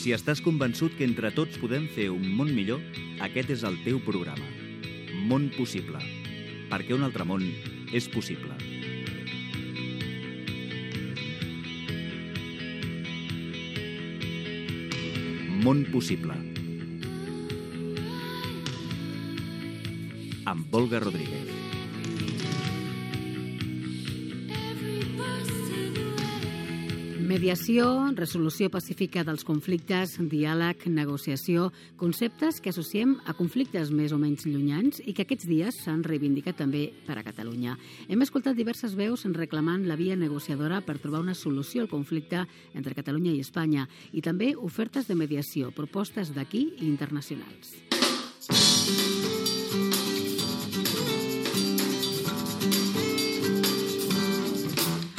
Si estàs convençut que entre tots podem fer un món millor, aquest és el teu programa. Món Possible. Perquè un altre món és possible. Món Possible. Amb Olga Rodríguez. Mediació, resolució pacífica dels conflictes, diàleg, negociació, conceptes que associem a conflictes més o menys llunyans i que aquests dies s'han reivindicat també per a Catalunya. Hem escoltat diverses veus reclamant la via negociadora per trobar una solució al conflicte entre Catalunya i Espanya i també ofertes de mediació, propostes d'aquí i internacionals.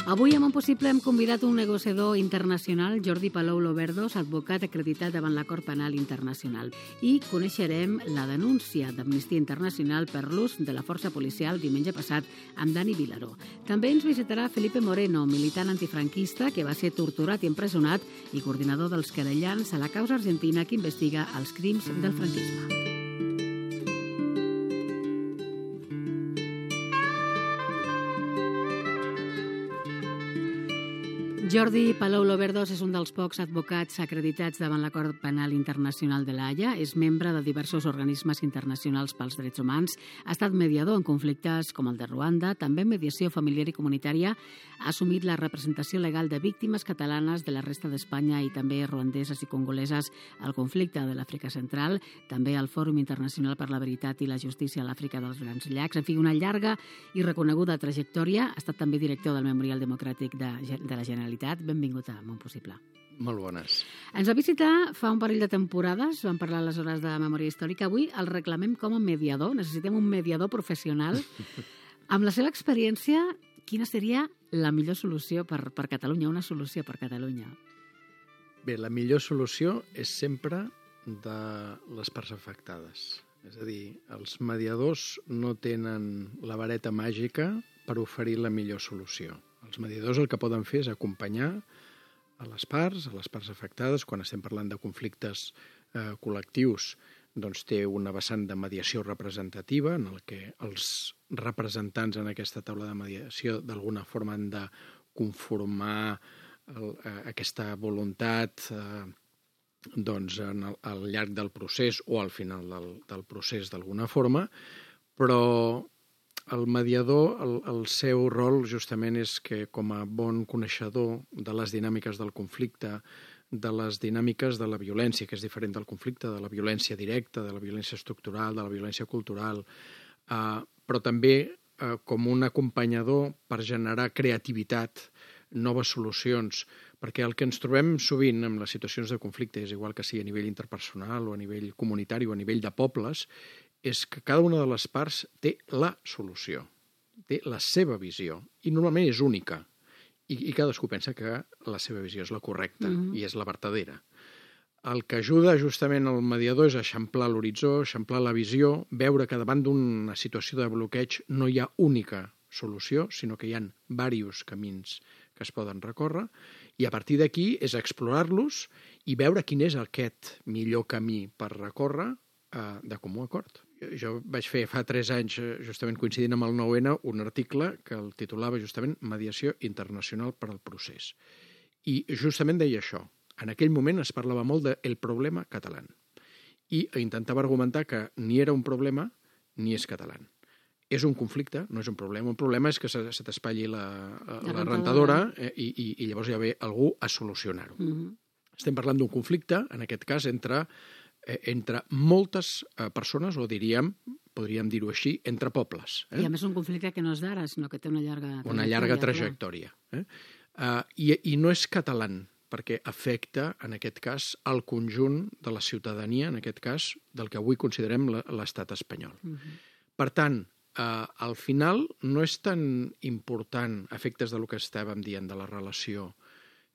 Avui a Món Possible hem convidat un negociador internacional, Jordi Palou Loverdos, advocat acreditat davant la Cort Penal Internacional. I coneixerem la denúncia d'Amnistia Internacional per l'ús de la força policial diumenge passat amb Dani Vilaró. També ens visitarà Felipe Moreno, militant antifranquista que va ser torturat i empresonat i coordinador dels querellants a la causa argentina que investiga els crims del franquisme. Jordi Palou Loverdos és un dels pocs advocats acreditats davant la Cort Penal Internacional de l'Haia. És membre de diversos organismes internacionals pels drets humans. Ha estat mediador en conflictes com el de Ruanda, també en mediació familiar i comunitària. Ha assumit la representació legal de víctimes catalanes de la resta d'Espanya i també ruandeses i congoleses al conflicte de l'Àfrica Central, també al Fòrum Internacional per la Veritat i la Justícia a l'Àfrica dels Grans Llacs. En fi, una llarga i reconeguda trajectòria. Ha estat també director del Memorial Democràtic de la Generalitat. Benvingut a Món Possible. Molt bones. Ens va visitar fa un parell de temporades, vam parlar aleshores de memòria històrica. Avui el reclamem com a mediador, necessitem un mediador professional. Amb la seva experiència, quina seria la millor solució per Catalunya, una solució per Catalunya? Bé, la millor solució és sempre de les parts afectades. És a dir, els mediadors no tenen la vareta màgica per oferir la millor solució. Els mediadors el que poden fer és acompanyar a les parts afectades. Quan estem parlant de conflictes col·lectius, doncs té una vessant de mediació representativa en el que els representants en aquesta taula de mediació d'alguna forma han de conformar aquesta voluntat doncs, al llarg del procés o al final del procés d'alguna forma, però el mediador, el seu rol justament és que com a bon coneixedor de les dinàmiques del conflicte, de les dinàmiques de la violència, que és diferent del conflicte, de la violència directa, de la violència estructural, de la violència cultural, però també com un acompanyador per generar creativitat, noves solucions, perquè el que ens trobem sovint en les situacions de conflicte, és igual que sigui a nivell interpersonal o a nivell comunitari o a nivell de pobles, és que cada una de les parts té la solució, té la seva visió, i normalment és única, i cadascú pensa que la seva visió és la correcta i és la vertadera. El que ajuda justament el mediador és eixamplar l'horitzó, eixamplar la visió, veure que davant d'una situació de bloqueig no hi ha única solució, sinó que hi ha diversos camins que es poden recórrer, i a partir d'aquí és explorar-los i veure quin és aquest millor camí per recórrer de comú acord. Jo vaig fer fa 3 anys, justament coincidint amb el 9-N, un article que el titulava justament Mediació Internacional per al Procés. I justament deia això. En aquell moment es parlava molt del problema català. I intentava argumentar que ni era un problema ni és català. És un conflicte, no és un problema. Un problema és que se t'espatlli la rentadora i llavors ja ve algú a solucionar-ho. Estem parlant d'un conflicte, en aquest cas, entre moltes persones, o podríem dir-ho així, entre pobles. I a més un conflicte que no és d'ara, sinó que té una llarga trajectòria. I no és català, perquè afecta, en aquest cas, el conjunt de la ciutadania, en aquest cas, del que avui considerem l'estat espanyol. Per tant, al final no és tan important, a efectes del que estàvem dient de la relació,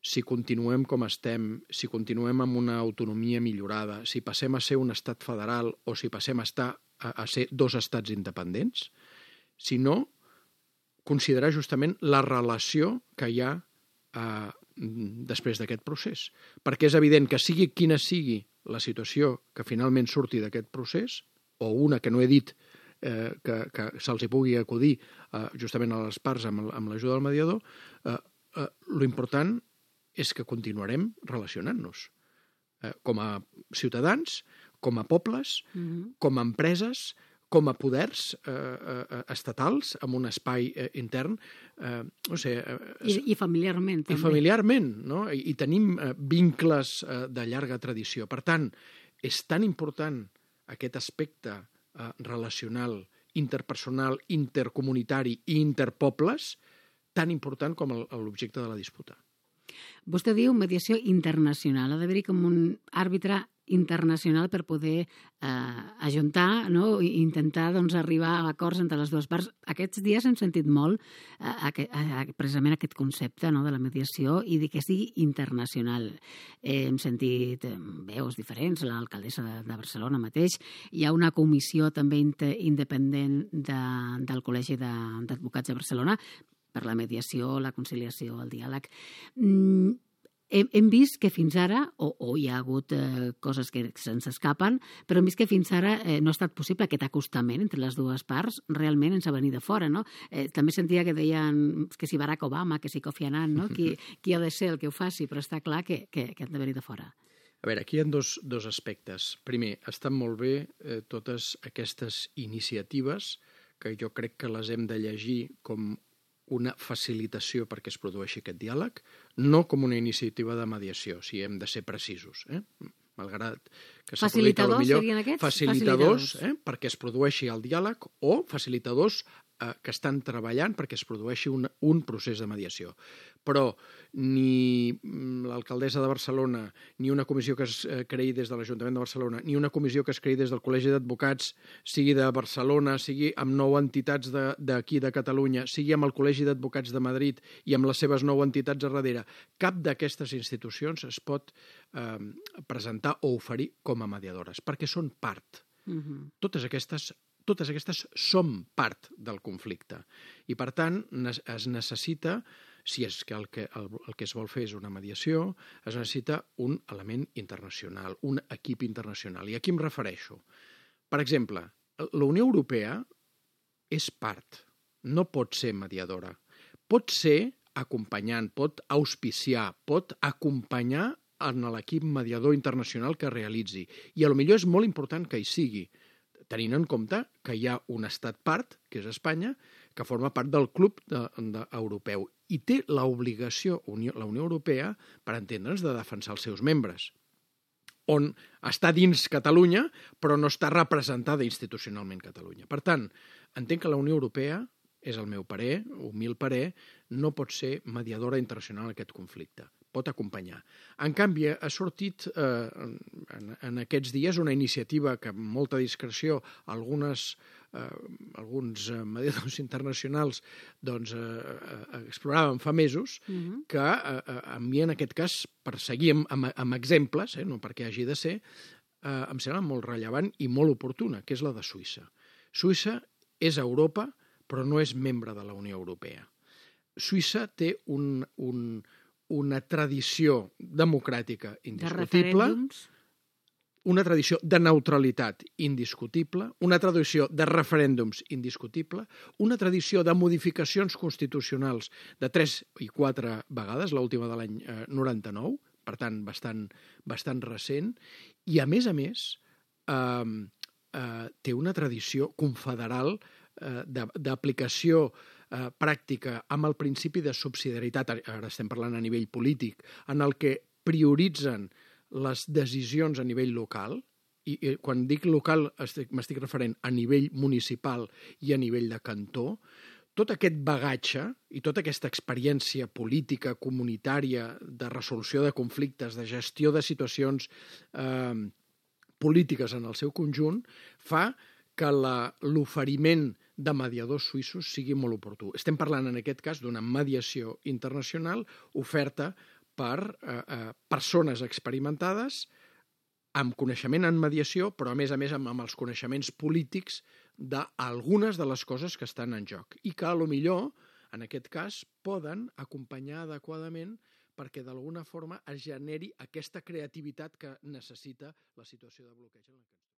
si continuem com estem, si continuem amb una autonomia millorada, si passem a ser un estat federal o si passem a ser 2 estats independents, sinó considerar justament la relació que hi ha després d'aquest procés. Perquè és evident que sigui quina sigui la situació que finalment surti d'aquest procés, o una que no he dit que se'ls hi pugui acudir justament a les parts amb l'ajuda del mediador, l'important és que continuarem relacionant-nos com a ciutadans, com a pobles, com a empreses, com a poders estatals, amb un espai intern, no sé... I familiarment, també. I familiarment, no? I tenim vincles de llarga tradició. Per tant, és tan important aquest aspecte relacional, interpersonal, intercomunitari i interpobles, tan important com l'objecte de la disputa. Vostè diu mediació internacional. Ha d'haver-hi com un àrbitre internacional per poder ajuntar, no? I intentar arribar a acords entre les dues parts. Aquests dies hem sentit molt precisament aquest concepte de la mediació i que sigui internacional. Hem sentit veus diferents, l'alcaldessa de Barcelona mateix. Hi ha una comissió també independent del Col·legi d'Advocats de Barcelona per la mediació, la conciliació, el diàleg. Hem vist que fins ara, o hi ha hagut coses que se'ns escapen, però hem vist que fins ara no ha estat possible aquest acostament entre les dues parts, realment ens ha venit de fora, no? També sentia que deien que si Barack Obama, que si Kofi Annan, no? Qui ha de ser el que ho faci, però està clar que han de venir de fora. A veure, aquí hi ha dos aspectes. Primer, estan molt bé totes aquestes iniciatives que jo crec que les hem de llegir com una facilitació perquè es produeixi aquest diàleg, no com una iniciativa de mediació, si hem de ser precisos. Malgrat que facilitadors serien aquests? Facilitadors perquè es produeixi el diàleg o facilitadors que estan treballant perquè es produeixi un procés de mediació. Però ni l'alcaldessa de Barcelona, ni una comissió que es creï des de l'Ajuntament de Barcelona, ni una comissió que es creï des del Col·legi d'Advocats, sigui de Barcelona, sigui amb 9 entitats d'aquí de Catalunya, sigui amb el Col·legi d'Advocats de Madrid i amb les seves 9 entitats a darrere, cap d'aquestes institucions es pot presentar o oferir com a mediadores, perquè són part. Totes aquestes som part del conflicte. I, per tant, es necessita, si és que el que es vol fer és una mediació, es necessita un element internacional, un equip internacional. I a qui em refereixo? Per exemple, la Unió Europea és part, no pot ser mediadora. Pot ser acompanyant, pot auspiciar, pot acompanyar en l'equip mediador internacional que realitzi. I potser és molt important que hi sigui, tenint en compte que hi ha un estat part, que és Espanya, que forma part del club europeu i té l'obligació, la Unió Europea, per entendre'ns, de defensar els seus membres, on està dins Catalunya, però no està representada institucionalment Catalunya. Per tant, entenc que la Unió Europea, és el meu parer, humil parer, no pot ser mediadora internacional en aquest conflicte. Pot acompanyar. En canvi, ha sortit en aquests dies una iniciativa que amb molta discreció alguns mediadors internacionals exploraven fa mesos, que a mi en aquest cas, per seguir amb exemples, no perquè hagi de ser, em sembla molt rellevant i molt oportuna, que és la de Suïssa. Suïssa és a Europa, però no és membre de la Unió Europea. Suïssa té una tradició democràtica indiscutible, una tradició de neutralitat indiscutible, una tradició de referèndums indiscutible, una tradició de modificacions constitucionals de 3 i 4 vegades, l'última de l'any 99, per tant, bastant recent, i a més, té una tradició confederal d'aplicació pràctica amb el principi de subsidiarietat, ara estem parlant a nivell polític, en el que prioritzen les decisions a nivell local, i quan dic local m'estic referent a nivell municipal i a nivell de cantó, tot aquest bagatge i tota aquesta experiència política, comunitària, de resolució de conflictes, de gestió de situacions polítiques en el seu conjunt, fa que l'oferiment de mediadors suïssos sigui molt oportú. Estem parlant en aquest cas d'una mediació internacional oferta per persones experimentades amb coneixement en mediació, però a més amb els coneixements polítics d'algunes de les coses que estan en joc i que, a lo millor, en aquest cas, poden acompanyar adequadament perquè d'alguna forma es generi aquesta creativitat que necessita la situació de bloqueig en la que ens